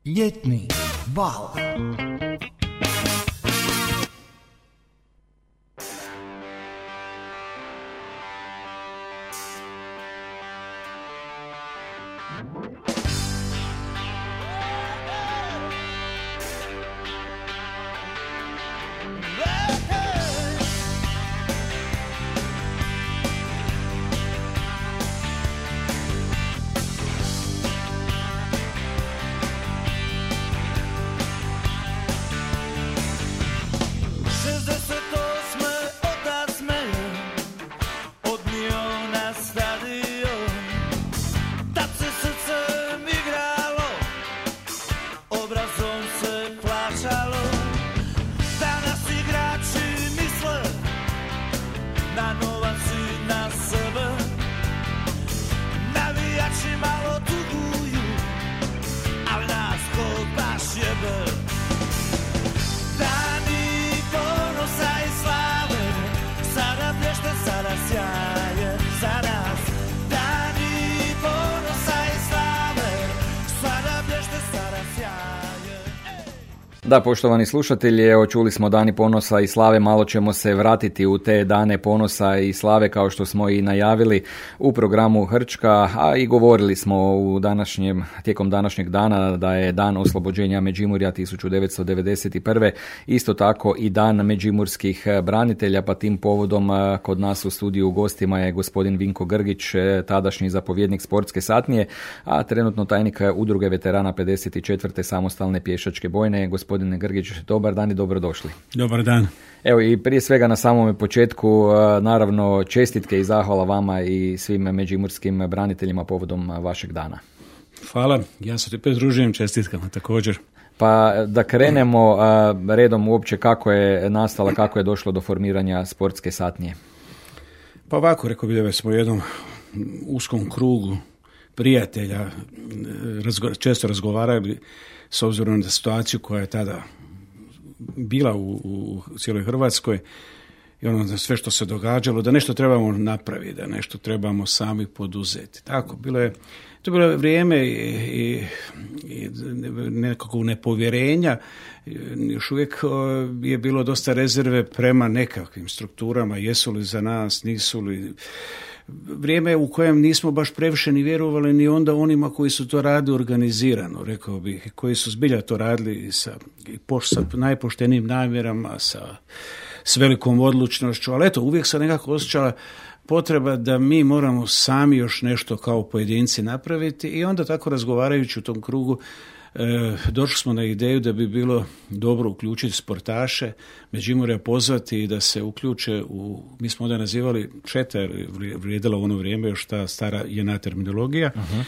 Ljetni val. Da, poštovani slušatelji, evo čuli smo Dani ponosa i slave, malo ćemo se vratiti u te dane ponosa i slave kao što smo i najavili u programu Hrčka, a i govorili smo tijekom današnjeg dana da je dan oslobođenja Međimurja 1991. Isto tako i dan međimurskih branitelja, pa tim povodom kod nas u studiju u gostima je gospodin Vinko Grgić, tadašnji zapovjednik sportske satnije, a trenutno tajnik udruge veterana 54. samostalne pješačke bojne. Gospodine Grgić, dobar dan i dobrodošli. Dobar dan. Evo i prije svega na samome početku, naravno čestitke i zahvala vama i svim međimurskim braniteljima povodom vašeg dana. Hvala, ja se te pridružujem čestitkama također. Pa da krenemo redom uopće kako je nastala, kako je došlo do formiranja sportske satnije. Pa ovako, rekao bih da smo u jednom uskom krugu prijatelja često razgovarali s obzirom na situaciju koja je tada bila u cijeloj Hrvatskoj i ono sve što se događalo, da nešto trebamo napraviti, da nešto trebamo sami poduzeti. Tako, to je bilo vrijeme i nekakvog nepovjerenja, još uvijek je bilo dosta rezerve prema nekakvim strukturama, jesu li za nas, nisu li. Vrijeme u kojem nismo baš previše ni vjerovali ni onda onima koji su to radili organizirano, rekao bih, koji su zbilja to radili sa najpoštenijim namjerama, s velikom odlučnošću, ali eto, uvijek se nekako osjećala potreba da mi moramo sami još nešto kao pojedinci napraviti i onda tako razgovarajući u tom krugu došli smo na ideju da bi bilo dobro uključiti sportaše, Međimurja pozvati i da se uključe mi smo onda nazivali četa, jer vrijedila u ono vrijeme još ta stara JNA terminologija. Uh-huh.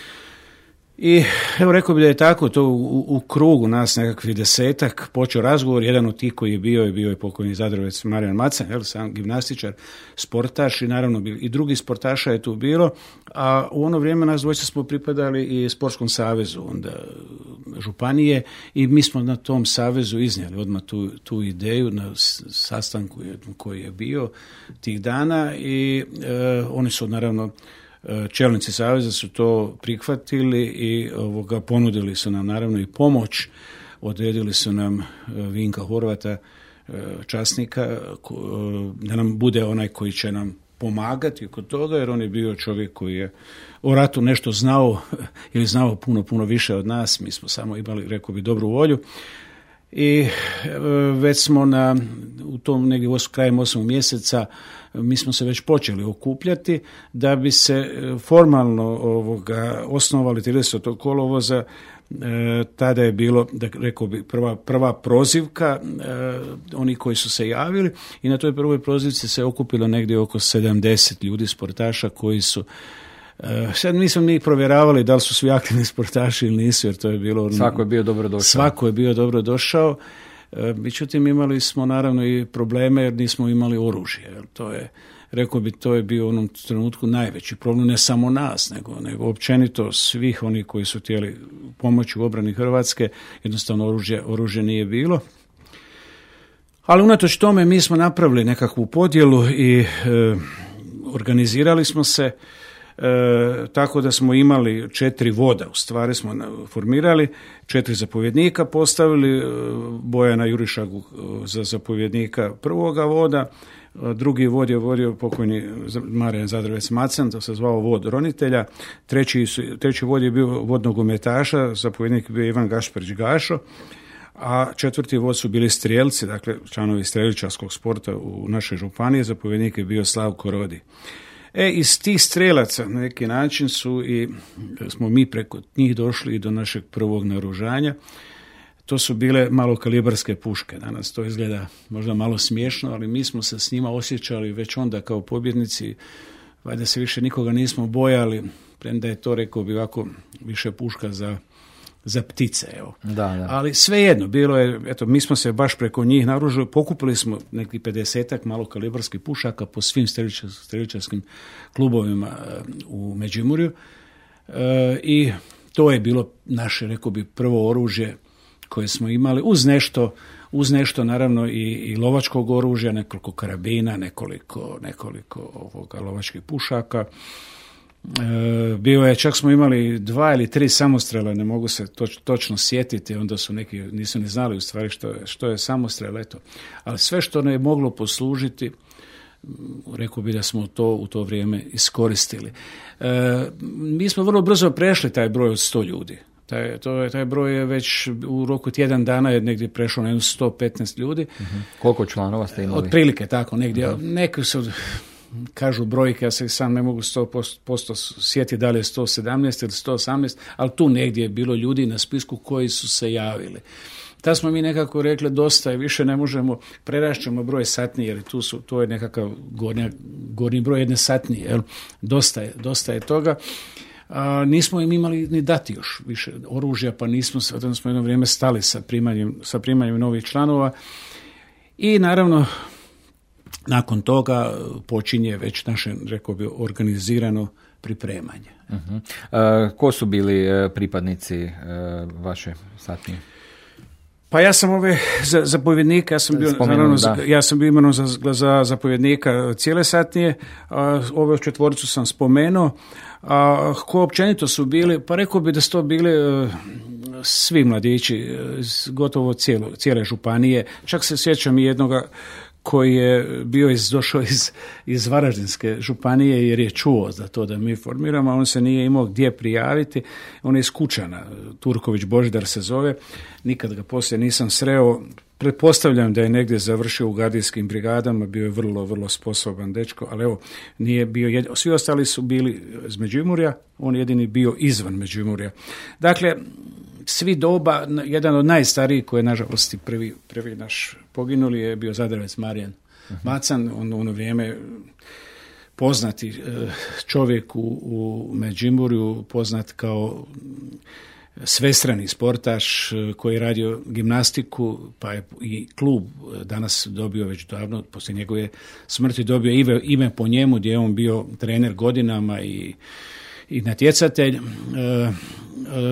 I evo rekao bi da je tako to u krugu nas nekakvih 10-ak počeo razgovor. Jedan od tih koji je bio pokojni Zadrovec Marijan Macan, sam gimnastičar, sportaš i naravno i drugi sportaša je tu bilo, a u ono vrijeme nas dvojica smo pripadali i Sportskom savezu onda županije i mi smo na tom savezu iznijeli odmah tu ideju na sastanku koji je bio tih dana i oni su naravno čelnici saveza su to prihvatili i ponudili su nam naravno i pomoć, odredili su nam Vinka Horvata, časnika, da nam bude onaj koji će nam pomagati kod toga, jer on je bio čovjek koji je o ratu nešto znao ili znao puno više od nas, mi smo samo imali, rekao bi, dobru volju. I već smo u tom negdje krajem 8. mjeseca mi smo se već počeli okupljati da bi se formalno osnovali 30. kolovoza. Tada je bilo, rekao bi, prva prozivka oni koji su se javili i na toj prvoj prozivci se okupilo negdje oko 70 ljudi sportaša koji su sad nismo mi provjeravali da li su svi aktivni sportaši ili nisu, jer to je bilo... Svako je bio dobrodošao. Svako je bio dobrodošao. Međutim, imali smo naravno i probleme jer nismo imali oružje. To je, rekao bi, to je bio u onom trenutku najveći problem, ne samo nas, nego općenito svih onih koji su htjeli pomoći u obrani Hrvatske. Jednostavno oružje nije bilo. Ali unatoč tome mi smo napravili nekakvu podjelu i organizirali smo se. tako da smo imali 4 voda, u stvari smo formirali, 4 zapovjednika postavili, Bojana Jurišagu za zapovjednika prvoga voda, drugi vod je vodio pokojni Marijan Zadravec Macan, to se zvao vod ronitelja, treći vod je bio vod nogometaša, zapovjednik je bio Ivan Gašperić Gašo, a 4. vod su bili strijelci, dakle članovi streličarskog sporta u našoj županiji, zapovjednik je bio Slavko Rodi. Iz tih strelaca na neki način smo mi preko njih došli i do našeg prvog naoružanja. To su bile malokalibarske puške. Danas to izgleda možda malo smiješno, ali mi smo se s njima osjećali već onda kao pobjednici, valjda se više nikoga nismo bojali, premda je to, rekao bi ovako, više puška za ptice, evo. Da. Ali svejedno, bilo je, eto, mi smo se baš preko njih naoružali, pokupili smo neki 50-ak malokalibarskih pušaka po svim streličarskim klubovima u Međimurju i to je bilo naše, rekao bi, prvo oružje koje smo imali, uz nešto naravno i lovačkog oružja, nekoliko karabina, nekoliko lovačkih pušaka. Bio je, čak smo imali 2 ili 3 samostrela, ne mogu se točno sjetiti, onda su neki nisu ni znali u stvari što je samostrel, eto. Ali sve što ne je moglo poslužiti, rekao bi da smo to u to vrijeme iskoristili. Mi smo vrlo brzo prešli taj broj od 100 ljudi. Taj broj je već u roku tjedan dana je negdje prešao na 115 ljudi. Koliko članova ste imali? Otprilike tako, negdje. Neki su, kažu brojke, ja se sam ne mogu 100% sjetiti da li je 117 ili 118, ali tu negdje je bilo ljudi na spisku koji su se javili. Tad smo mi nekako rekli dosta je, više ne možemo, prerašćemo broj satnije, jer to je nekakav gornji broj jedne satnije, jel? Dosta je toga. Nismo im imali ni dati još više oružja, pa onda smo jedno vrijeme stali sa primanjem novih članova i naravno nakon toga počinje već naše, rekao bi, organizirano pripremanje. Ko su bili pripadnici vaše satnije? Pa ja sam zapovjednika, ja sam bio imenovan za zapovjednika cijele satnije, ove 4 sam spomenuo, a ko općenito su bili, pa rekao bi da su to bili svi mladići, gotovo cijele županije, čak se sjećam i jednoga koji je došao iz Varaždinske županije jer je čuo za to da mi formiramo, a on se nije imao gdje prijaviti. On je iz Kučana, Turković Božidar se zove, nikad ga poslije nisam sreo. Pretpostavljam da je negdje završio u gardijskim brigadama, bio je vrlo, vrlo sposoban dečko, ali evo, nije bio svi ostali su bili iz Međimurja, on jedini bio izvan Međimurja. Dakle, svi doba, jedan od najstarijih koji je nažalost i prvi naš poginuli je bio Zadravec Marijan Macan, on u ono vrijeme poznati čovjek u Međimurju, poznat kao svestrani sportaš koji je radio gimnastiku, pa je i klub danas dobio već davno, poslije njegove smrti dobio ime po njemu, gdje je on bio trener godinama i natjecatelj.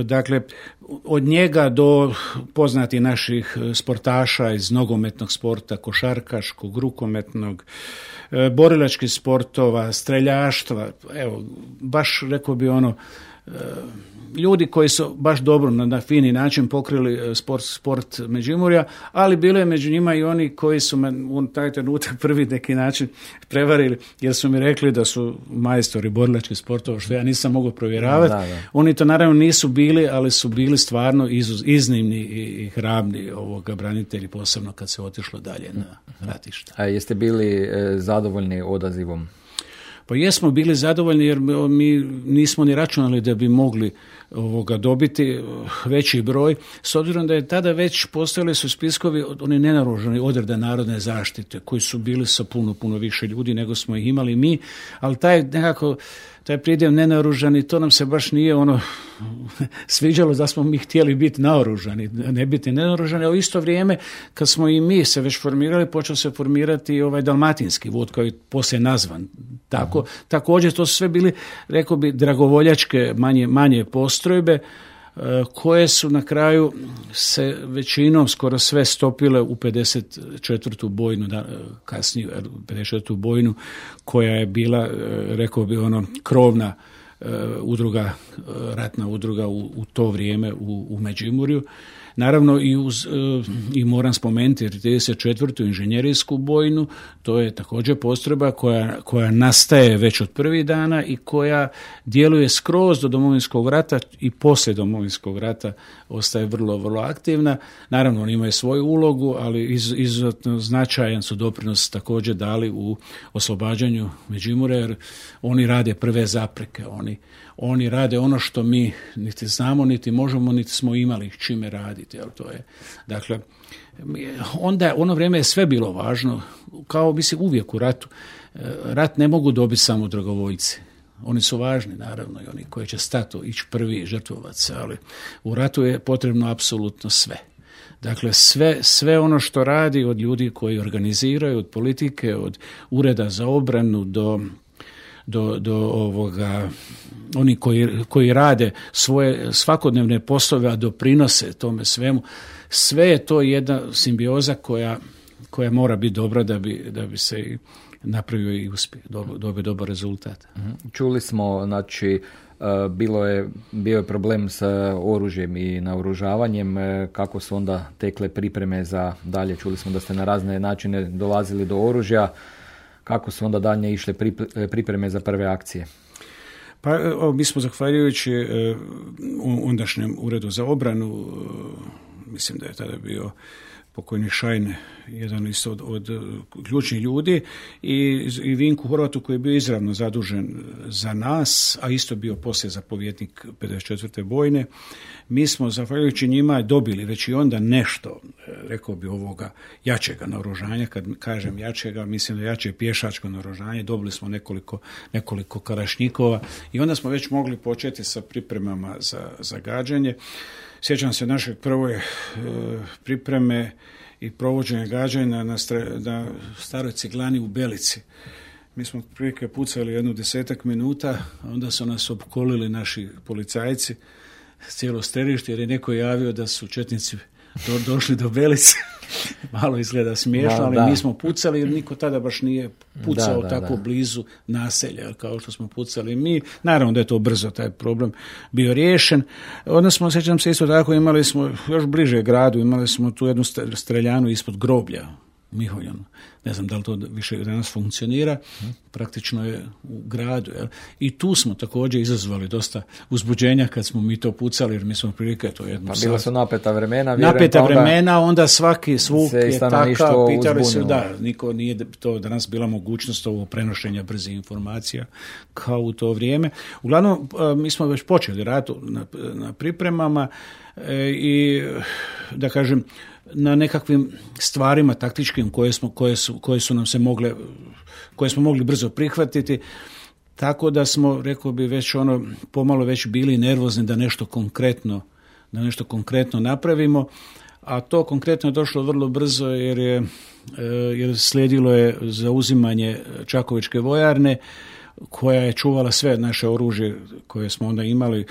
Dakle, od njega do poznati naših sportaša iz nogometnog sporta, košarkaškog, rukometnog, borilačkih sportova, streljaštva, evo, baš rekao bi ljudi koji su baš dobro na fini način pokrili sport Međimurja, ali bilo je među njima i oni koji su me u taj trenutak prvi neki način prevarili, jer su mi rekli da su majstori borilačkih sportova, što ja nisam mogao provjeravati. Da. Oni to naravno nisu bili, ali su bili stvarno iznimni i hrabni branitelji, posebno kad se otišlo dalje na ratište. A jeste bili zadovoljni odazivom? Pa jesmo bili zadovoljni jer mi nismo ni računali da bi mogli dobiti veći broj, s obzirom da je tada već postojali su spiskovi oni nenaoružani odreda narodne zaštite koji su bili sa puno više ljudi nego smo ih imali mi, ali taj pridjev nenaoružani, to nam se baš nije sviđalo da smo mi htjeli biti naoružani, ne biti nenaoružani, a u isto vrijeme kad smo i mi se već formirali, počeo se formirati dalmatinski vod koji je poslije nazvan. Također to su sve bili, rekao bi, dragovoljačke manje postrojbe koje su na kraju se većinom skoro sve stopile u 54. bojnu, kasnije 54. bojnu koja je bila, rekao bi, krovna ratna udruga u to vrijeme u Međimurju. Naravno i moram spomenuti 34. inženjerijsku bojnu, to je također postrojba koja nastaje već od prvih dana i koja djeluje skroz do Domovinskog rata i poslije Domovinskog rata ostaje vrlo, vrlo aktivna. Naravno, oni imaju svoju ulogu, ali izuzetno značajan su doprinos također dali u oslobađanju Međimurja, jer oni rade prve zapreke, oni rade ono što mi niti znamo, niti možemo, niti smo imali čime raditi. Jel, to je, dakle, onda ono vrijeme je sve bilo važno, kao mislim uvijek u ratu. Rat ne mogu dobiti samo dragovoljci. Oni su važni, naravno, i oni koji će stati, ići prvi, žrtvovat se, ali u ratu je potrebno apsolutno sve. Dakle, sve ono što radi od ljudi koji organiziraju, od politike, od ureda za obranu do ovoga, oni koji rade svoje svakodnevne poslove, a doprinose tome svemu, sve je to jedna simbioza koja mora biti dobra da bi se napravio i uspije, dobio dobar rezultat. Čuli smo, znači, bio je problem sa oružjem i naoružavanjem. Kako su onda tekle pripreme za dalje? Čuli smo da ste na razne načine dolazili do oružja. Kako su onda dalje išle pripreme za prve akcije? Pa mi smo, zahvaljujući ondašnjem uredu za obranu, mislim da je tada bio pokojni Šajn, jedan isto od ključnih ljudi, i Vinku Horvatu koji je bio izravno zadužen za nas, a isto bio poslije zapovjednik 54. bojne. Mi smo, zahvaljujući njima, dobili već i onda nešto, rekao bi, ovoga jačega naoružanja. Kad kažem jačega, mislim da jače pješačko naoružanje. Dobili smo nekoliko kalašnjikova i onda smo već mogli početi sa pripremama za gađanje. Sjećam se naše prve pripreme i provođenje gađanja na staroj ciglani u Belici. Mi smo prilike pucali 10 minuta, a onda su nas opkolili naši policajci, cijelo strelište, jer je neko javio da su četnici došli do Belice. Malo izgleda smiješno, ali mi smo pucali jer niko tada baš nije pucao tako blizu naselja kao što smo pucali mi. Naravno da je to brzo taj problem bio riješen. Onda smo, sjećam se isto tako, imali smo još bliže gradu, imali smo tu jednu streljanu ispod groblja u Miholjanu. Ne znam da li to više danas funkcionira, praktično je u gradu. Jel? I tu smo također izazvali dosta uzbuđenja kad smo mi to pucali, jer mi smo prilike to jednu Pa bila su napeta vremena. Vremena, onda svaki svuk je takav, pitali su, niko nije to danas bila mogućnost ovog prenošenja brzih informacija kao u to vrijeme. Uglavnom, mi smo već počeli rad na pripremama i, da kažem, na nekakvim stvarima taktičkim koje su nam se koje smo mogli brzo prihvatiti, tako da smo, rekao bi, već pomalo već bili nervozni da nešto konkretno napravimo, a to konkretno je došlo vrlo brzo jer slijedilo je zauzimanje Čakovičke vojarne, koja je čuvala sve naše oružje koje smo onda imali.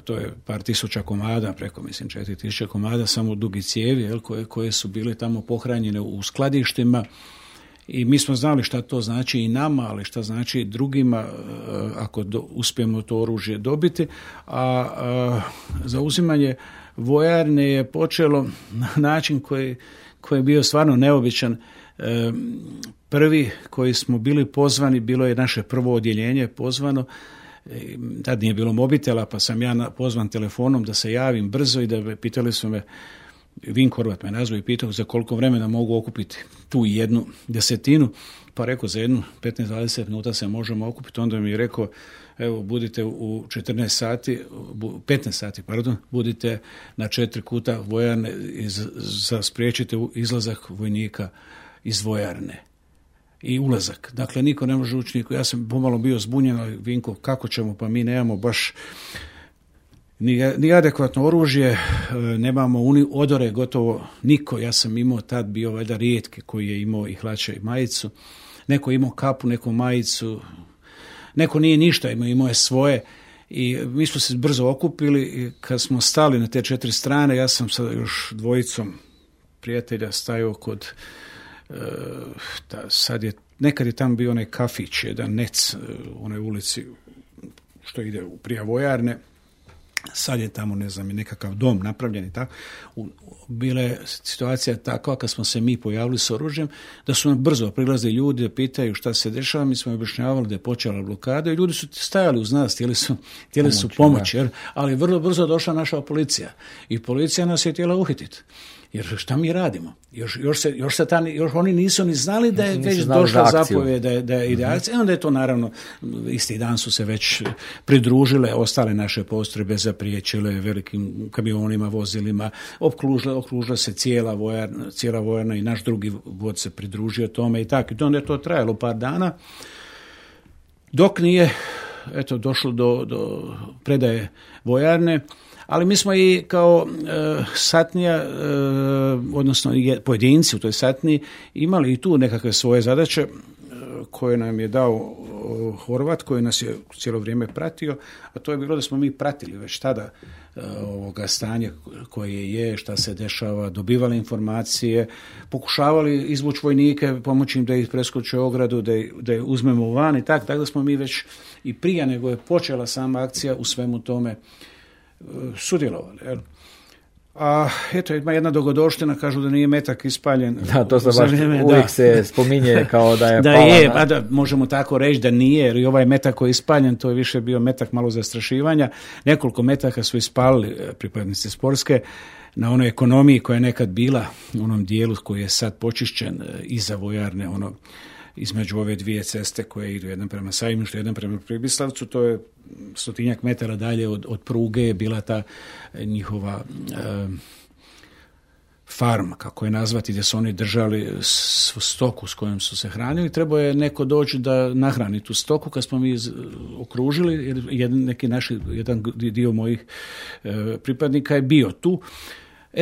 To je par tisuća komada, preko 4.000 komada, samo dugi cijevi, koje su bile tamo pohranjene u skladištima, i mi smo znali šta to znači i nama, ali šta znači drugima ako uspijemo to oružje dobiti. A zauzimanje vojarne je počelo na način koji je bio stvarno neobičan. Prvi koji smo bili pozvani, bilo je naše prvo odjeljenje pozvano. Tad nije bilo mobitela, pa sam ja pozvan telefonom da se javim brzo, i da pitali su me, Vink Horvat me nazvao i pitao za koliko vremena mogu okupiti tu 1/10, pa rekao za 15-20 minuta se možemo okupiti. Onda mi je rekao, evo, budite u 15 sati, budite na 4 kuta vojarne za spriječite izlazak vojnika iz vojarne i ulazak. Dakle, niko ne može ući, ja sam pomalo bio zbunjen, ali Vinko, kako ćemo, pa mi nemamo baš ni adekvatno oružje, nemamo odore, gotovo niko. Ja sam imao tad, bio valjda rijetki koji je imao i hlače i majicu, neko je imao kapu, neko majicu, neko nije ništa, imao je svoje, i mi smo se brzo okupili, i kad smo stali na te 4 strane, ja sam sa još dvojicom prijatelja stajao kod nekad je tamo bio onaj kafić, jedan Nec u onoj ulici što ide prije vojarne. Sad je tamo, ne znam, nekakav dom napravljen i tako. Bila je situacija takva kad smo se mi pojavili s oružjem, da su nam brzo prilazili ljudi da pitaju šta se dešava. Mi smo objašnjavali da je počela blokada i ljudi su stajali uz nas, htjeli su pomoć, ali vrlo brzo došla naša policija i policija nas je htjela uhititi. Jer šta mi radimo? Još oni nisu ni znali da je već došla zapovjed da ide akcija. Onda je to naravno, isti dan su se već pridružile ostale naše postrojbe, zapriječile velikim kamionima, vozilima, okružila se cijela vojarna i naš drugi vod se pridružio tome i tako. I onda je to trajalo par dana, dok nije došlo do predaje vojarne. Ali mi smo i kao satnija, odnosno pojedinci u toj satniji, imali i tu nekakve svoje zadaće koje nam je dao Horvat, koji nas je cijelo vrijeme pratio, a to je bilo da smo mi pratili već tada ovoga stanja koje je, šta se dešava, dobivali informacije, pokušavali izvući vojnike, pomoći im da ih preskoče ogradu, da ih uzmemo van i tako da smo mi već i prije nego je počela sama akcija u svemu tome sudjelovali. A ima jedna dogodovština, kažu da nije metak ispaljen. Da, to se baš uvijek se spominje kao da je pala. Da je, pa da, možemo tako reći da nije, jer i ovaj metak koji je ispaljen, to je više bio metak malo zastrašivanja. Nekoliko metaka su ispalili pripadnici Sporske na onoj ekonomiji koja je nekad bila u onom dijelu koji je sad počišćen iza vojarne, između ove dvije ceste koje idu jedan prema Sajmištu, jedan prema Pribislavcu, to je 100 metara dalje od pruge je bila ta njihova farma, kako je nazvati, gdje su oni držali stoku s kojom su se hranili. Trebao je neko doći da nahrani tu stoku. Kad smo mi okružili, jedan dio mojih pripadnika je bio tu.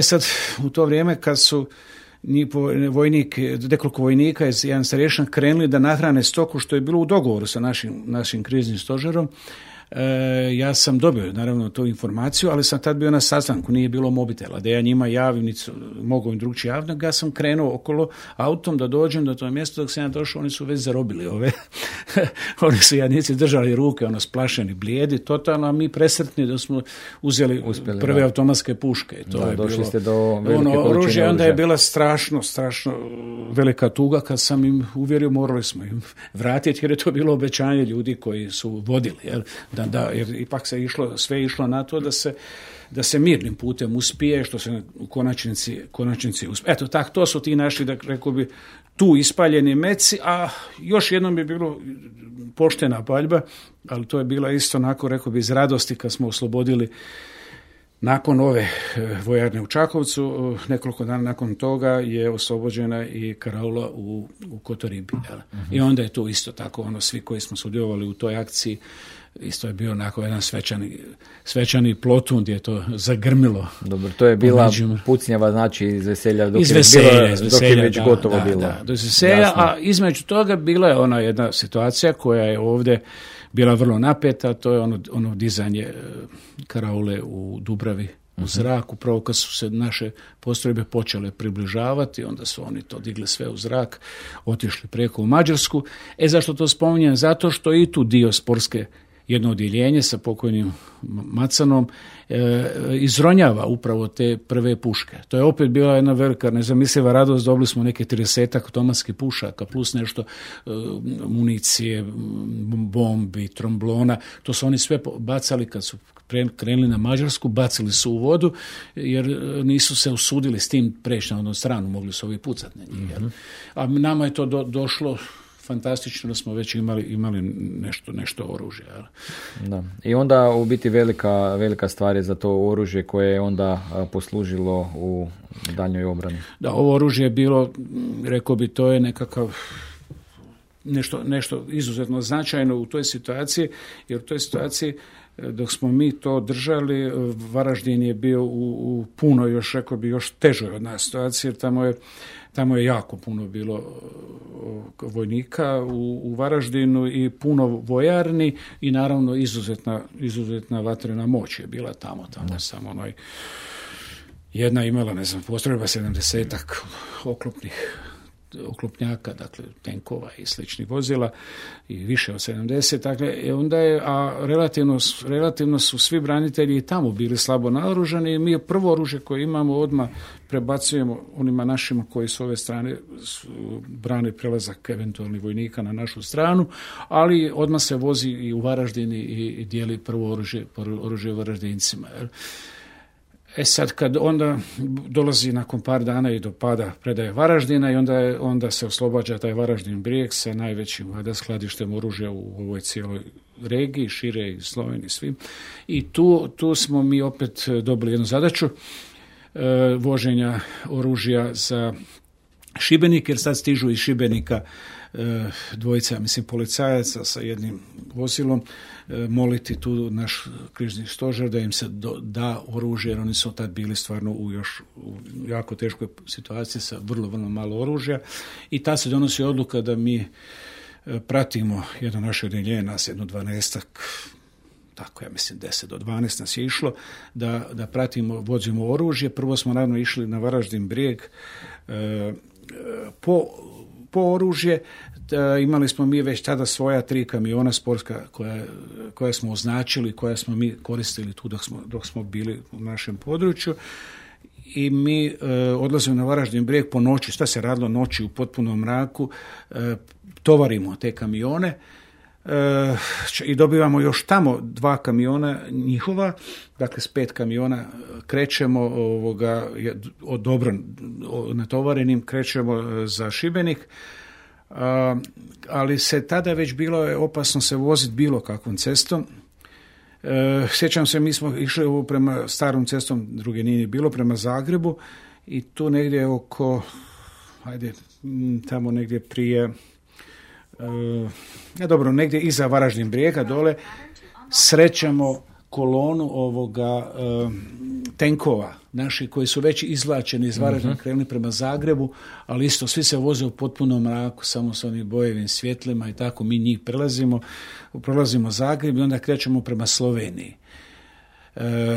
Sad, u to vrijeme kad su nekoliko vojnika iz jedan starješan krenuli da nahrane stoku, što je bilo u dogovoru sa našim kriznim stožerom. Ja sam dobio naravno tu informaciju, ali sam tad bio na sastanku, nije bilo mobitela, da ja njima javim, mogu im drugčije javno, ja sam krenuo okolo autom da dođem do tog mjesta, dok sam ja došao, oni su već zarobili oni su jadnici držali ruke, splašeni, blijedi, totalno, a mi presretni da smo uzeli prve automatske puške. To je došli bilo, ste do velike količine oružja. Onda je bila strašno velika tuga kad sam im uvjerio, morali smo im vratiti, jer je to bilo obećanje ljudi koji su vodili, jer ipak se sve išlo na to da se mirnim putem uspije, što se u konačnici uspije. Eto, to su ti naši, da rekao bi, tu ispaljeni meci, a još jednom bi bilo poštena paljba, ali to je bila isto onako, rekao bi, iz radosti kad smo oslobodili nakon ove vojarne u Čakovcu. Nekoliko dana nakon toga je oslobođena i karaula u Kotoribi. I onda je to isto tako, svi koji smo sudjelovali u toj akciji, isto je bio onako jedan svečani plotun gdje je to zagrmilo. Dobro, to je bila pucnjava, znači iz veselja, dok je već gotovo bilo. Da, do veselja, a između toga bila je ona jedna situacija koja je ovdje bila vrlo napeta, to je ono dizanje karaule u Dubravi u zrak, upravo kad su se naše postrojbe počele približavati, onda su oni to digli sve u zrak, otišli preko u Mađarsku. Zašto to spominjem? Zato što i tu dio Sporske, jedno odjeljenje sa pokojnim Macanom, izronjava upravo te prve puške. To je opet bila jedna velika nezamisliva radost, dobili smo neke 30 automatskih pušaka plus nešto municije, bombi, tromblona, to su oni sve bacali kad su krenuli na Mađarsku, bacili su u vodu jer nisu se usudili s tim preći na onu stranu, mogli su ovi pucati na njih. A nama je to došlo fantastično da smo već imali nešto oružje. Da. I onda u biti velika stvar je za to oružje koje je onda poslužilo u daljnjoj obrani. Da, ovo oružje je bilo, rekao bi, to je nekakav nešto izuzetno značajno u toj situaciji, jer u toj situaciji dok smo mi to držali, Varaždin je bio u puno, još rekao bi, još težoj od nas situacije, jer tamo je jako puno bilo vojnika u Varaždinu i puno vojarni i naravno izuzetna vatrena moć je bila tamo samo jedna imala, postrojba 70-ak oklopnih oklopnjaka, dakle tenkova i sličnih vozila i više od 70, dakle onda je, a relativno su svi branitelji i tamo bili slabo naoružani i mi prvo oružje koje imamo odmah prebacujemo onima našima koji s ove strane brane prelazak eventualnih vojnika na našu stranu, ali odmah se vozi i u Varaždin i dijeli prvo oružje Varaždincima. Sad kad onda dolazi nakon par dana i do pada predaje Varaždina i onda se oslobađa taj Varaždin Brijeg sa najvećim skladištem oružja u ovoj cijeloj regiji, šire i Sloveniji svim. I tu smo mi opet dobili jednu zadaću voženja oružja za Šibenik, jer sad stižu iz Šibenika dvojica, policajaca sa jednim vozilom, moliti tu naš križni stožer da im se da oružje, jer oni su tad bili stvarno u jako teškoj situaciji sa vrlo, vrlo malo oružja. I ta se donosi odluka da mi pratimo jedno naše odjeljenje, nas jedno 12-ak, tako ja mislim 10 do 12 nas je išlo, da pratimo, vozimo oružje. Prvo smo naravno išli na Varaždin Brijeg po oružje. Imali smo mi već tada svoja 3 kamiona sportska koja smo označili, koja smo mi koristili tu dok smo bili u našem području. I mi odlazimo na Varaždin Brijeg po noći, šta se radilo noći u potpunom mraku, tovarimo te kamione i dobivamo još tamo 2 kamiona njihova, dakle s 5 kamiona krećemo dobro natovarenim, krećemo za Šibenik, ali se tada već bilo je opasno se voziti bilo kakvom cestom. Sjećam se, mi smo išli prema starom cestom, druge nije bilo, prema Zagrebu i tu negdje tamo negdje prije, negdje iza Varaždin Brijega dole, srećemo kolonu tenkova naši koji su već izvlačeni iz Varaždina, krenuli prema Zagrebu, ali isto svi se voze u potpunom mraku, samo s onim bojevim svjetlima i tako mi njih prolazimo Zagreb i onda krećemo prema Sloveniji.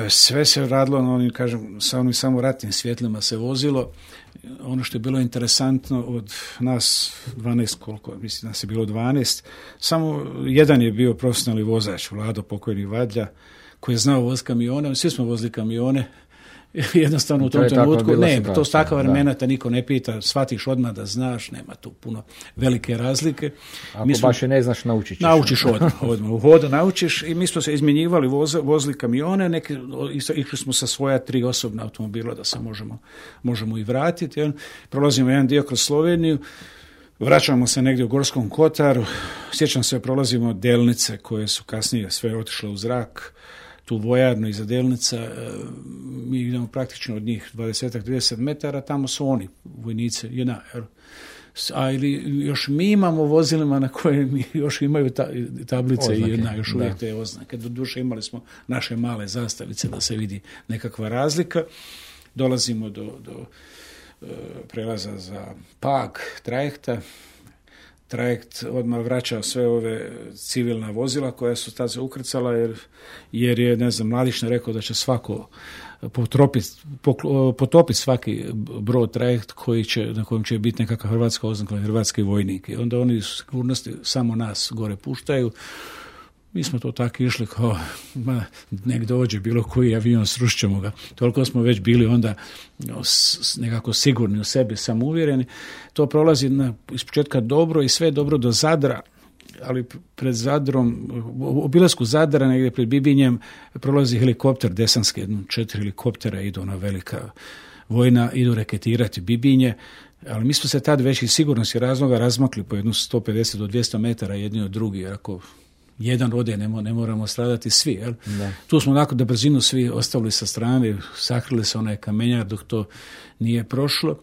Sve se radilo na onim, sa onim samo ratnim svjetlima se vozilo. Ono što je bilo interesantno od nas 12, koliko, mislim nas je bilo 12, samo jedan je bio profesionalni vozač, Vlado pokojni Vadlja, koji je znao voziti kamione, svi smo vozili kamione, jednostavno u tom trenutku, to s takva vremena te niko ne pita, shvatiš odmah da znaš, nema tu puno velike razlike. Ako baš je ne znaš, naučiš odmah, u hodu naučiš i mi smo se izmjenjivali, vozili kamione, išli smo sa svoja 3 osobna automobila da se možemo i vratiti. Prolazimo jedan dio kroz Sloveniju, vraćamo se negdje u Gorskom Kotaru, sjećam se, prolazimo Delnice koje su kasnije sve otišle u zrak, tu vojarnu iza Delnica, mi idemo praktično od njih 20-30 metara, tamo su oni, vojnici, ili još mi imamo vozilima na koje mi još imaju tablice oznake, i još uvijek te oznake. Doduše imali smo naše male zastavice da se vidi nekakva razlika. Dolazimo do prelaza za Pag, trajekta. Trajekt odmah vraća sve ove civilna vozila koja su tad se ukrcala jer je, Mladić rekao da će svako potopiti svaki brod trajekt na kojem će biti nekakva hrvatska oznaka, hrvatski vojnik. I onda oni su sigurnosti samo nas gore puštaju. Mi smo to tako išli kao, nek dođe bilo koji avion, srušćemo ga. Toliko smo već bili onda nekako sigurni u sebi, samouvjereni. To prolazi iz početka dobro i sve dobro do Zadra, ali pred Zadrom, u obilasku Zadra, negdje pred Bibinjem, prolazi helikopter desanski, 4 helikoptera idu na velika vojna, idu reketirati Bibinje, ali mi smo se tad već iz sigurnosti razloga razmakli po jednu 150 do 200 metara jedni od drugi, jer ako jedan ode, ne moramo stradati svi. Jel? Tu smo onako da brzinu svi ostavili sa strane, sakrili se onaj kamenjar dok to nije prošlo.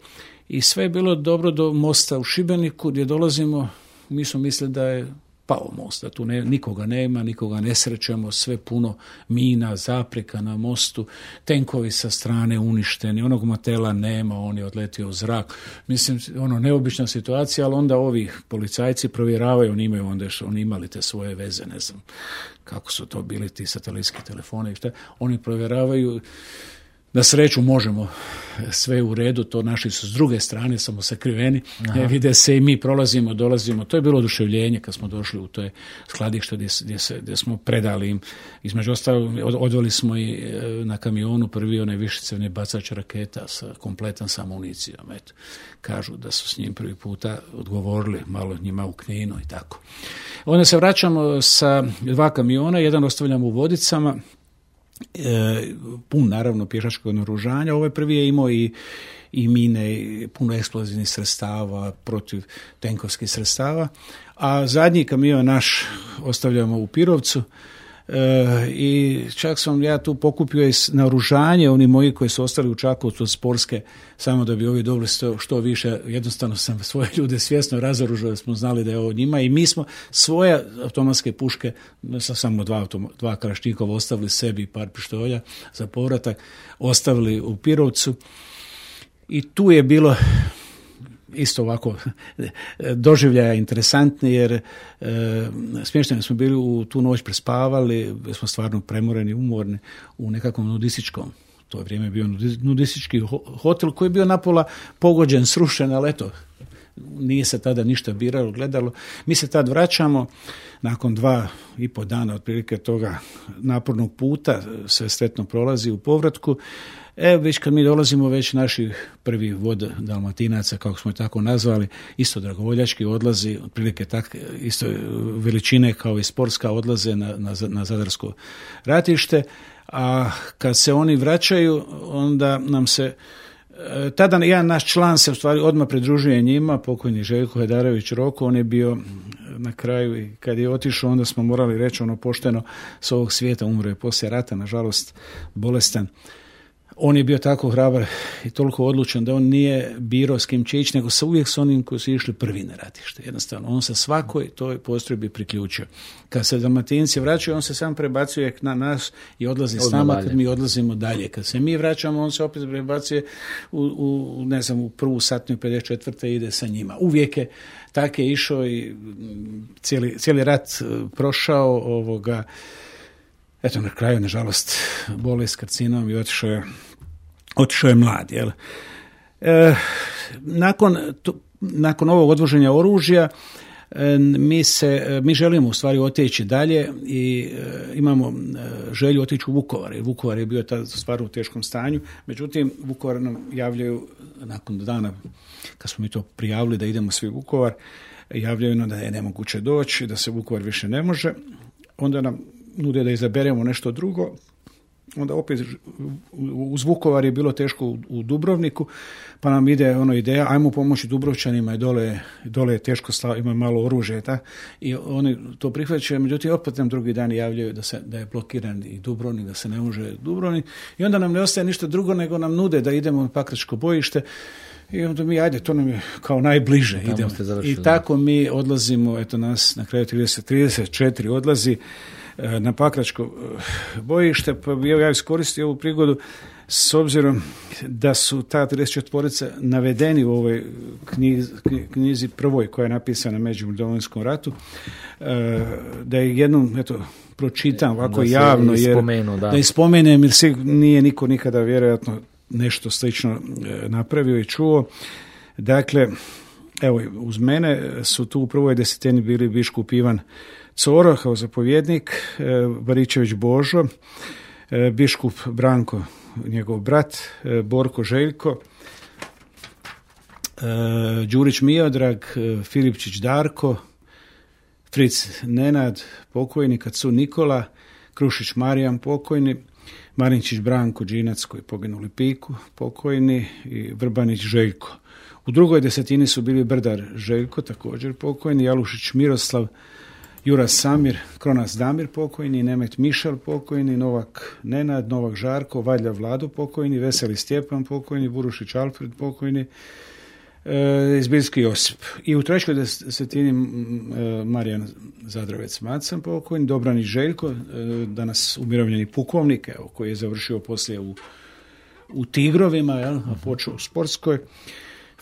I sve je bilo dobro do mosta u Šibeniku gdje dolazimo, mi smo mislili da je pao most, da tu nikoga nema, nikoga ne srećemo, sve puno mina, zapreka na mostu, tenkovi sa strane uništeni, onog motela nema, on je odletio u zrak. Mislim, neobična situacija, ali onda ovi policajci provjeravaju, oni imali te svoje veze, ne znam kako su to bili ti satelitski telefoni, oni provjeravaju Na sreću možemo, sve u redu, to naši su s druge strane, samo sakriveni, vide se i mi prolazimo, dolazimo. To je bilo oduševljenje kad smo došli u to skladište gdje smo predali im. Između ostalog, odveli smo i na kamionu prvi onaj višecevni bacač raketa kompletan sa amunicijom. Eto, kažu da su s njim prvi puta odgovorili malo njima u Kninu i tako. Onda se vraćamo sa 2 kamiona, jedan ostavljamo u Vodicama, pun naravno pješačkog naoružanja. Ovaj prvi je imao i mine, i puno eksplozivnih sredstava, protiv tenkovskih sredstava, a zadnji kamion naš ostavljamo u Pirovcu. I čak sam ja tu pokupio i naoružanje, oni moji koji su ostali u Čakovcu od sportske, samo da bi ovi dobili što više. Jednostavno sam svoje ljude svjesno razoružao, da smo znali da je ovo njima, i mi smo svoje automatske puške, samo 2 kalašnjikova ostavili sebi i par pištolja za povratak, ostavili u Pirovcu. I tu je bilo isto ovako doživljaja interesantni, jer smješteni smo bili, u tu noć prespavali, smo stvarno premoreni, umorni, u nekakvom nudističkom, to je vrijeme bio nudistički hotel koji je bio napola pogođen, srušen, ali eto, nije se tada ništa biralo, gledalo. Mi se tad vraćamo, nakon 2,5 dana otprilike toga napornog puta, sve sretno prolazi u povratku. Već kad mi dolazimo, već naši prvi vod Dalmatinaca, kako smo je tako nazvali, isto dragovoljački odlazi, otprilike isto veličine kao i sportska, odlaze na Zadarsko ratište, a kad se oni vraćaju, onda nam se tada jedan naš član se u stvari odmah pridružuje njima, pokojni Željko Hedarević Roko. On je bio na kraju, i kad je otišao, onda smo morali reći ono pošteno, s ovog svijeta, umro je poslije rata, nažalost bolestan. On je bio tako hrabar i toliko odlučan da on nije birao s kim će ići, nego uvijek s onim koji su išli prvi na ratište. Jednostavno, on se svakoj toj postrojbi priključio. Kad se Dalmatinci vraćaju, on se sam prebacuje na nas i odlazi s nama kad mi odlazimo dalje. Kad se mi vraćamo, on se opet prebacuje u prvu satniju 54. ide sa njima. Uvijek je tako je išao i cijeli rat prošao ovoga. Eto, na kraju, nažalost, bolest karcinom i otišao je mlad. Jel? Nakon ovog odvoženja oružja, mi želimo u stvari otići dalje i imamo želju otići u Vukovar. Jer Vukovar je bio tad stvar u teškom stanju. Međutim, Vukovar nam javljaju nakon dana, kad smo mi to prijavili da idemo svi u Vukovar, javljaju nam da je nemoguće doći, da se Vukovar više ne može. Onda nam nude da izaberemo nešto drugo. Onda opet uz Vukovar je bilo teško u Dubrovniku, pa nam ide ideja, ajmo pomoći Dubrovčanima, i dole je teško, ima malo oružja, i oni to prihvaćaju. Međutim, opet nam drugi dan javljaju da je blokiran i Dubrovnik, da se ne može Dubrovnik, i onda nam ne ostaje ništa drugo nego nam nude da idemo na Pakračko bojište. I onda mi, to nam je kao najbliže, idemo. I tako mi odlazimo, eto nas na kraju 34 odlazi na Pakračko bojište. Pa bi ja iskoristio ovu prigodu, s obzirom da su ta 34 navedeni u ovoj knjizi prvoj koja je napisana među Domovinskom ratu, da je jednom pročitam ovako javno, da ispomenem, jer nije niko nikada vjerojatno nešto slično napravio i čuo. Dakle, evo, uz mene su tu u prvoj desetini bili biškup Ivan Coro kao zapovjednik, Baričević Božo, biškup Branko, njegov brat, Borko Željko, Đurić Miodrag, Filipčić Darko, Fric Nenad, pokojni, Kacu Nikola, Krušić Marijan, pokojni, Marinčić Branko Đinac, koji je poginuli Piku, pokojni, i Vrbanić Željko. U drugoj desetini su bili Brdar Željko, također pokojni, Jalušić Miroslav, Juras Samir, Kronas Damir, pokojni, Nemet Mišel, pokojni, Novak Nenad, Novak Žarko, Valja Vlado, pokojni, Veseli Stjepan, pokojni, Burušić Alfred, pokojni, Izbiljski Josip. I u trećoj desetini Marijan Zadravec Macan, pokojni, Dobranić Željko, danas umirovljeni pukovnik, koji je završio poslije u Tigrovima, a počeo u sportskoj,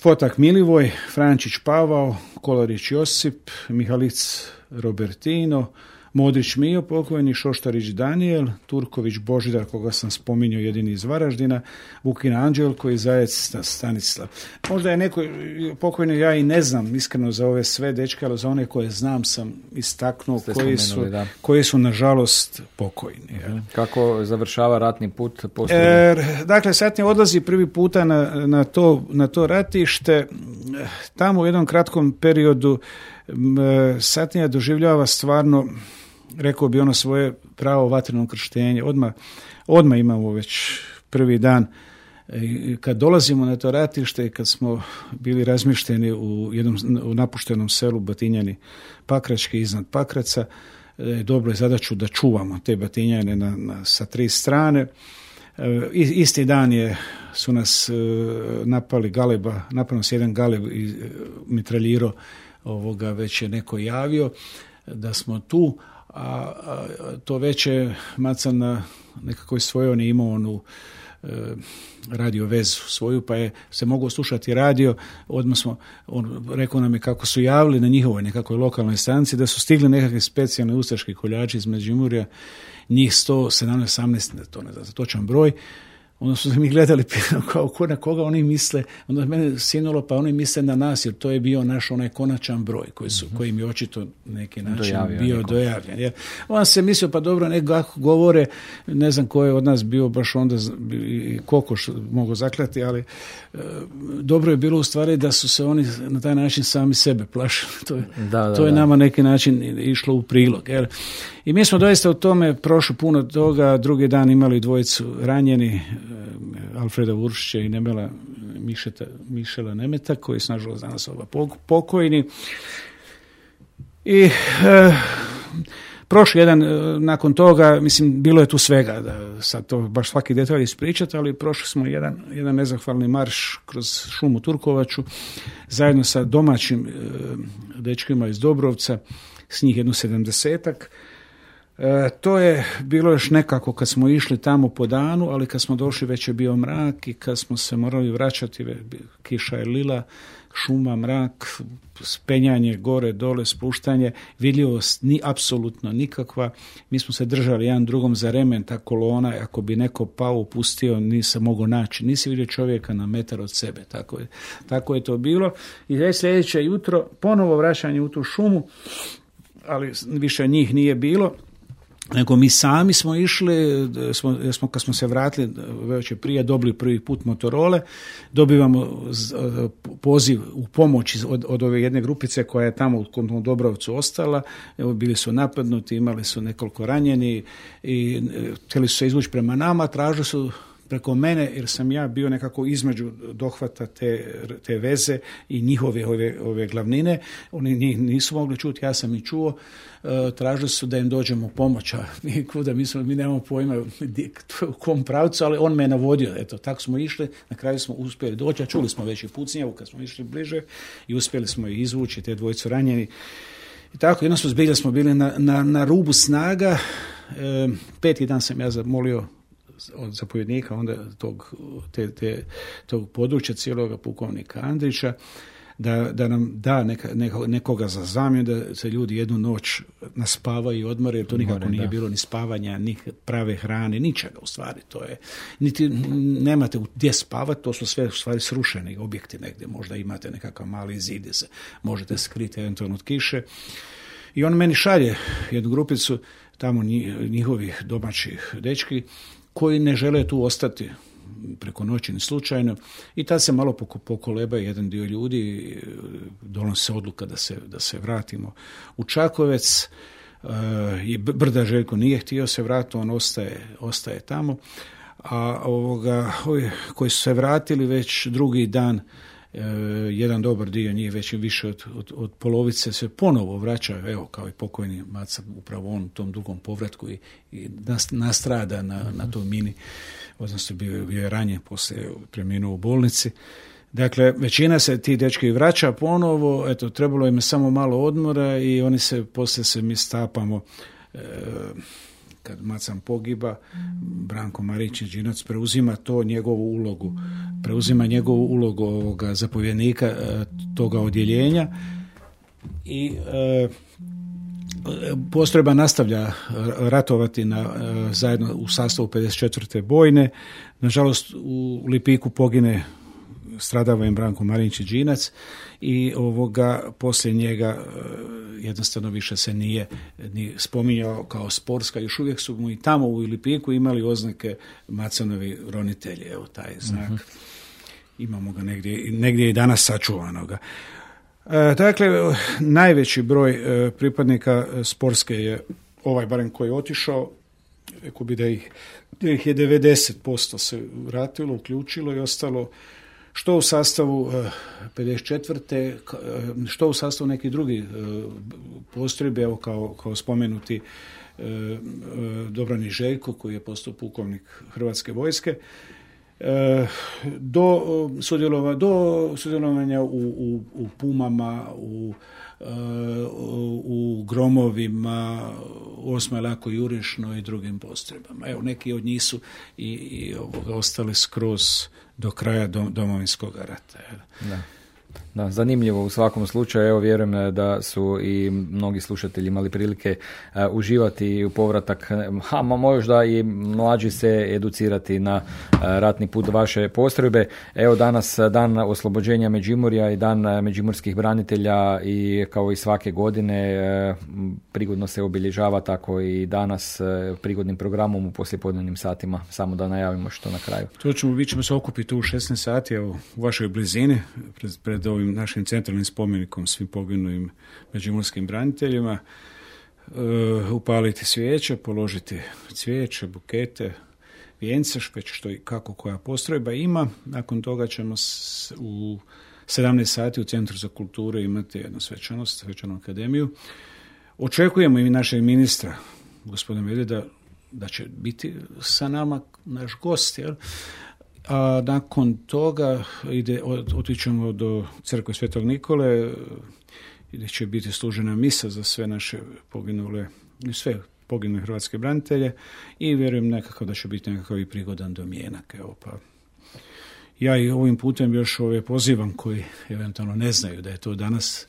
Fotak Milivoj, Frančić Pavao, Kolarić Josip, Mihalic Robertino, Modrić Mijo pokojni, Šoštarić Danijel, Turković Božidar, koga sam spominjao, jedini iz Varaždina, Vukin Anđelko i Zajec Stanislav. Možda je neko pokojni, ja i ne znam iskreno za ove sve dečke, ali za one koje znam sam istaknuo koji su nažalost pokojni. Kako završava ratni put? Dakle, Satnija odlazi prvi puta na to ratište. Tamo u jednom kratkom periodu Satnija doživljava stvarno, rekao bi ono svoje pravo vatreno krštenje. Odmah imamo već prvi dan. Kad dolazimo na to ratište, kad smo bili razmješteni u napuštenom selu Batinjani Pakrački iznad Pakraca, dobro je zadaću da čuvamo te Batinjane sa 3 strane. Isti dan su nas napali galeba, napao nas jedan galeb i mitraljiro, već je neko javio da smo tu, a to već je Macan na nekakvoj svojoj, on je imao onu radio vezu svoju, pa je se mogao slušati radio. Odmah on rekao nam je kako su javili na njihovoj nekakvoj lokalnoj stanici da su stigli nekakve specijalne ustaški koljači iz Međimurja, njih 117, 18, to ne znam, točan broj. Onda su mi gledali kao na koga oni misle, onda mene sinulo, pa oni misle na nas, jer to je bio naš onaj konačan broj koji mi očito neki način bio dojavljen. Jer on se mislio, pa dobro, nekako govore, ne znam ko je od nas bio baš onda kokoš mogu zaklati, ali dobro je bilo u stvari da su se oni na taj način sami sebe plašili. To je nama neki način išlo u prilog. Jer i mi smo doista u tome prošli puno toga, drugi dan imali 2 ranjeni, Alfreda Vuršića i Mišela Nemeta, koji su nažalost danas pokojni. I prošli jedan nakon toga, mislim, bilo je tu svega, da sad to baš svaki detalj ispričati, ali prošli smo jedan nezahvalni marš kroz šumu Turkovaču, zajedno sa domaćim dečkima iz Dobrovca, s njih 70-ak. To je bilo još nekako kad smo išli tamo po danu, ali kad smo došli već je bio mrak i kad smo se morali vraćati, kiša je lila, šuma, mrak, spenjanje gore, dole, spuštanje, vidljivost apsolutno nikakva. Mi smo se držali jedan drugom za remen, ta kolona, ako bi neko pao, upustio, nisam mogao naći. Nisi vidio čovjeka na metar od sebe. Tako je to bilo. I već sljedeće jutro, ponovo vraćanje u tu šumu, ali više njih nije bilo. Nego mi sami smo išli, kad smo se vratili već prije, dobili prvi put Motorole, dobivamo poziv u pomoć od ove jedne grupice koja je tamo u Dobrovcu ostala. Evo, bili su napadnuti, imali su nekoliko ranjeni i htjeli su se izvući prema nama, tražili su preko mene, jer sam ja bio nekako između dohvata te veze i njihove ove glavnine. Oni njih nisu mogli čuti, ja sam ih čuo. Tražili su da im dođemo pomoć, a mi nemamo pojma u kom pravcu, ali on me je navodio. Eto, tako smo išli, na kraju smo uspjeli doći, a čuli smo već i pucnjavu kad smo išli bliže i uspjeli smo ih izvući, te 2 ranjeni. I tako, jedno smo bili na rubu snaga. 5. dan sam ja zamolio od zapovjednika onda tog područja cijeloga pukovnika Andrića da nam da nekoga za zamjenu, da se ljudi jednu noć naspavaju i odmore, jer to nikako nije bilo ni spavanja, ni prave hrane, ničega u stvari. To je, niti nemate gdje spavati, to su sve u stvari srušeni objekti negdje, možda imate nekakav mali zid gdje se možete skriti eventualno od kiše. I on meni šalje jednu grupicu tamo njihovih domaćih dečki koji ne žele tu ostati preko noći ni slučajno, i tad se malo pokoleba jedan dio ljudi, donosi se odluka da se vratimo u Čakovec. I Brda Željko nije htio se vratiti, on ostaje tamo, a ovi koji su se vratili već drugi dan, jedan dobar dio njih, već više od polovice, se ponovo vraća, evo, kao i pokojni Maca, upravo on u tom drugom povratku i nastrada na toj mini, odnosno bio je ranjen, poslije preminuo u bolnici. Dakle, većina se ti dečki vraća ponovo, eto, trebalo im samo malo odmora i oni poslije mi stapamo, kad Macan pogiba, Branko Marić Đinac preuzima njegovu ulogu ovoga zapovjednika toga odjeljenja i Postrojba nastavlja ratovati zajedno u sastavu 54. bojne. Nažalost, u Lipiku pogine, stradava im Branko Marinčić Đinac i poslije njega jednostavno više se nije ni spominjao kao sportska. Još uvijek su mu i tamo u Lipiku imali oznake Macanovi ronitelji. Evo taj znak. Imamo ga negdje i danas sačuvanoga. Dakle, najveći broj pripadnika sportske je ovaj barem koji je otišao, rekao bi da ih je 90% se vratilo, uključilo i ostalo što u sastavu 54. što u sastavu nekih drugih postrojbi, evo kao spomenuti Dobrani Željko koji je postao pukovnik Hrvatske vojske, do sudjelovanja u Pumama, u Gromovima, 8. Lako Jurišno i drugim postrojbama. Evo, neki od njih su i ostali skroz do kraja Domovinskog rata. Da, zanimljivo u svakom slučaju. Evo, vjerujem da su i mnogi slušatelji imali prilike uživati u povratak, možda i mlađi se educirati na ratni put vaše postrojbe. Evo, danas dan oslobođenja Međimurja i dan međimurskih branitelja i kao i svake godine prigodno se obilježava, tako i danas prigodnim programom u poslijepodnevnim satima. Samo da najavimo što na kraju. Mi ćemo se okupiti u 16 sati u vašoj blizini pred ovim našim centralnim spomenikom svim poginulim međimurskim braniteljima, upaliti svijeće, položiti cvijeće, bukete, vijence, što i kako koja postrojba ima. Nakon toga ćemo u 17 sati u Centru za kulturu imati jednu svečanu akademiju. Očekujemo i našeg ministra, gospodina Medveda, da će biti sa nama naš gost, jel? A nakon toga otićemo do crkve Svetog Nikole, gdje će biti služena misa za sve naše poginule hrvatske branitelje i vjerujem nekako da će biti nekakav i prigodan domjenak. Evo, pa ja i ovim putem još pozivam koji eventualno ne znaju da je to danas,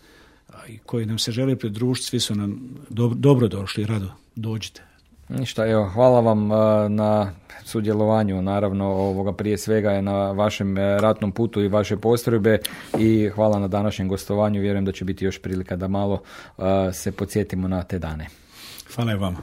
a i koji nam se žele pridružiti, svi su nam dobro došli, rado dođite. Ništa, evo, hvala vam na sudjelovanju, naravno prije svega je na vašem ratnom putu i vaše postrojbe i hvala na današnjem gostovanju. Vjerujem da će biti još prilika da malo se podsjetimo na te dane. Hvala i vama.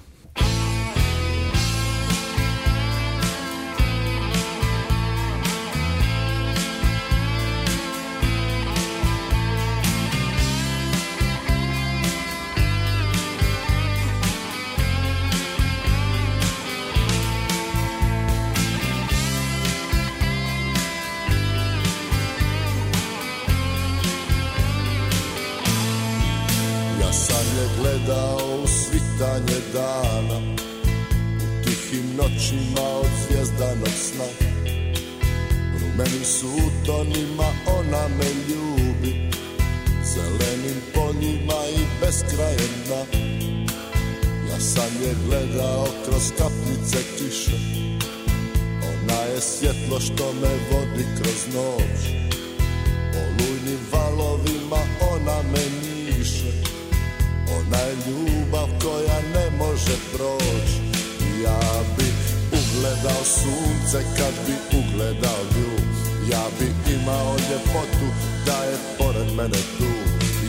Gledao svitanje dana u tihim noćima od zvjezdanog sna, rumenim sutonima ona me ljubi, zelenim poljima i beskrajem dna. Ja sam je gledao kroz kapljice kiše, ona je svjetlo što me vodi kroz noć, olujnim valovima ona me njiše. Ona je ljubav koja ne može proći. Ja bi ugledao sunce kad bi ugledao nju. Ja bi imao ljepotu da je pored mene tu.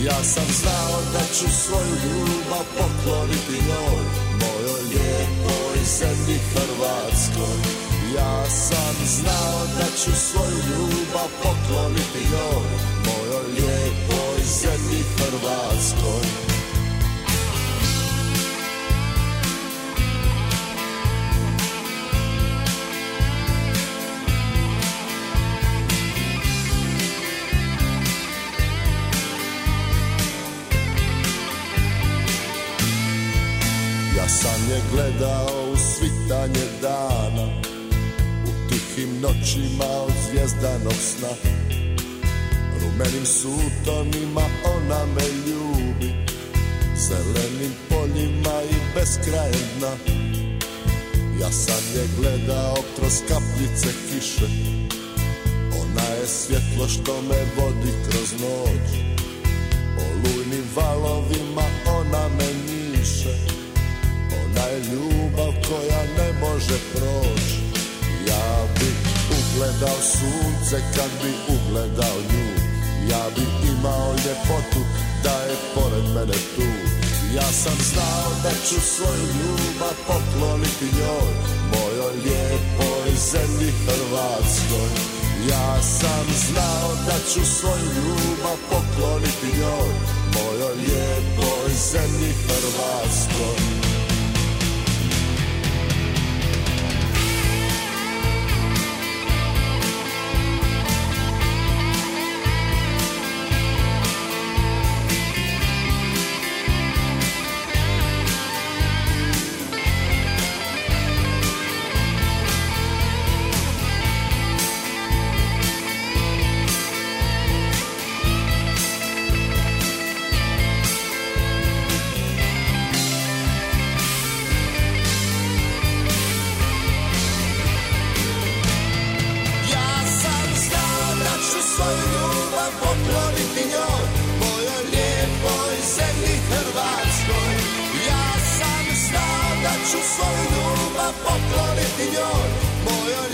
Ja sam znao da ću svoju ljubav pokloniti njoj, mojoj lijepoj zemlji Hrvatskoj. Ja sam znao da ću svoju ljubav pokloniti njoj, mojoj lijepoj zemlji Hrvatskoj. Ja sam je gledao u svitanje dana, u tihim noćima od zvjezdanog sna, rumenim sutonima ona me ljubi, zelenim poljima i beskrajem dna. Ja sam je gledao kroz kapljice kiše, ona je svjetlo što me vodi kroz noć, olujnim valovima ona me njiše. više. Ona je ljubav koja ne može proći. Ja bi ugledao sunce kad bi ugledao nju. Ja bi imao ljepotu da je pored mene tu. Ja sam znao da ću svoju ljubav pokloniti njoj, mojoj lijepoj zemlji Hrvatskoj. Ja sam znao da ću svoju ljubav pokloniti njoj, mojoj lijepoj zemlji Hrvatskoj. Svoju ljubav pokloniti njoj, mojoj